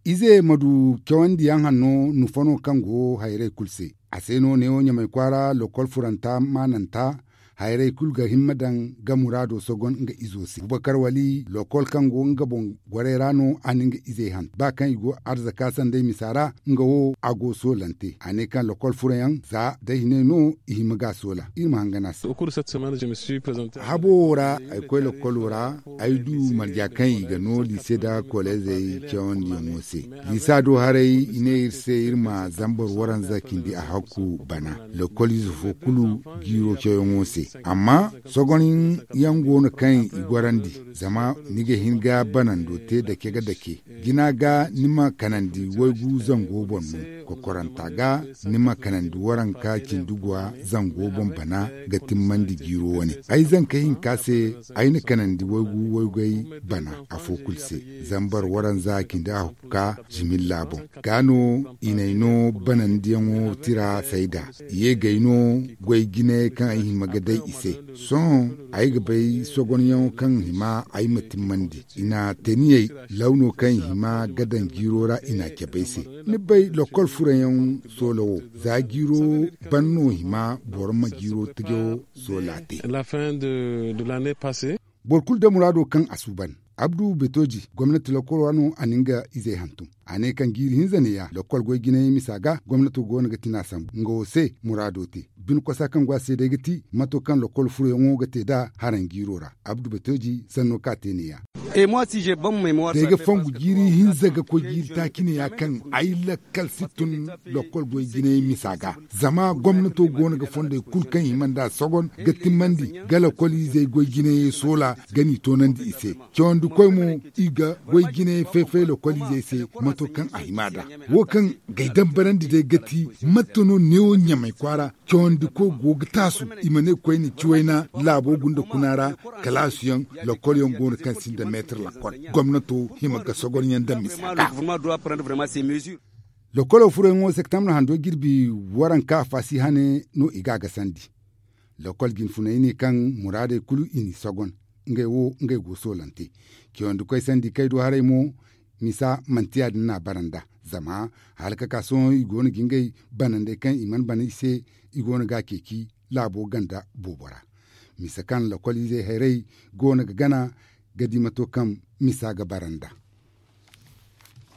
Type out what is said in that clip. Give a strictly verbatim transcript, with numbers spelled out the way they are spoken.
Ize ma du cawandi yaŋ hanno nufano kaŋ go hayray kulu se. A se no neewo ɲamay kwaara lokol furanta maananta. Hayray kulu ga himma daŋ ga muraado sogon nga izo se bubakar wali lokol kaŋ go nga boŋ goray ra no a na nga izey han ba kaŋ i go arzaka sanday misa ra. Nga wo a go soolante a ne kaŋ lokol furo yaŋ za day hinay no i hima ga a soola. Iri ma hangan a se. Habo wo ra ay koy lokolo ra ay du marja kaŋ i ga no liise nda koleezey cawandiyaŋo se. Liisa do haray i ne iri se iri ma zambar waranza cindi a hakku bana lokol ize fo kulu jiiro cawyaŋo se. Amma sogon yaŋ go no kaŋ i gorandi zama ni ga hin ga banando te dake ga dake. Jina ga ni ma kanandi waygu zango boŋ no. Kokoranta ga ni ma kanandi waranka cindi guwa zango boŋ bana ga timmandi jiiro wane. Ay zanka hinka se ay na kanandi waygu waygay bana afo kulu se. Zambar waranza cindi a ka jimilla boŋ ga no i n'ay no banandiyaŋo tira sayda. I ye gay no goy jinayey kaŋ ay hima ga day i se. Sohõ ay ga bay sogonyaŋo kaŋ hima ay ma timmandi i na teniyey lawno kaŋ hima ga daŋ jiiro ra i na cabe ay se. Ni bay lokol furayaŋ soola wo za jiiro ban no hima boro ma jiiro tajo soola te. Boro kulu da muraado kaŋ a suuban. Abdu betoji gomnati lokol ra no a na nga izey hantum. A ne kaŋ jiiri hinza neeya lokol goy jinayey misa ga gomnato go no ga tina sambu nga wo se muraado te. Bine kosa kaŋ go a se day ga ti mato kaŋ lokol furoyaŋo ga te nd'a haraŋ jiiro ra. Abdu betoji sanno kaŋ a te neeya. Day ga fongu jiiri hinza ga koy jiiri taaci neeya kaŋ ay lakkal si tun lokol goy jinayey misa ga. Zama gomnato go no ga fondey kulu kaŋ hima nd'a sogon ga timmandi ga lokol izey goy jinayey soola ga n'i toonandi i se. Cawandikoy mo i ga goy jinayey fay-fay lokol izey se. Mato kaŋ a hima nd'a wo kaŋ g'ay dambarandi day ga ti mate no neewo ɲamay kwaara cawandikoy go ga taasu i ma ne koyne ciwayna laabo gunda kuna ra. Kalaasuyaŋ lokol yaŋ go no kaŋ sinda meetir lokol gomnato hima ga sogonyaŋ daŋ misa ga. Lokolo furayaŋo septembre hando jirbi waranka faasi hane no i ga a gasandi. Lokol jinfunay ne kaŋ muraadey kulu i n'i sogon ngey wo ngey go soolante. Cawandi koy sandi kay do haray mo misa manti ya- din no a bara nd'a. Zama hala ka ka sohõ i go no ga ngey banandey kaŋ i mana bana i se i go no ga a ceeci laabo ganda boobo ra. Misa kaŋ lokol izey hayrey go no ga gana ga di mato kaŋ misa ga bara nd'a.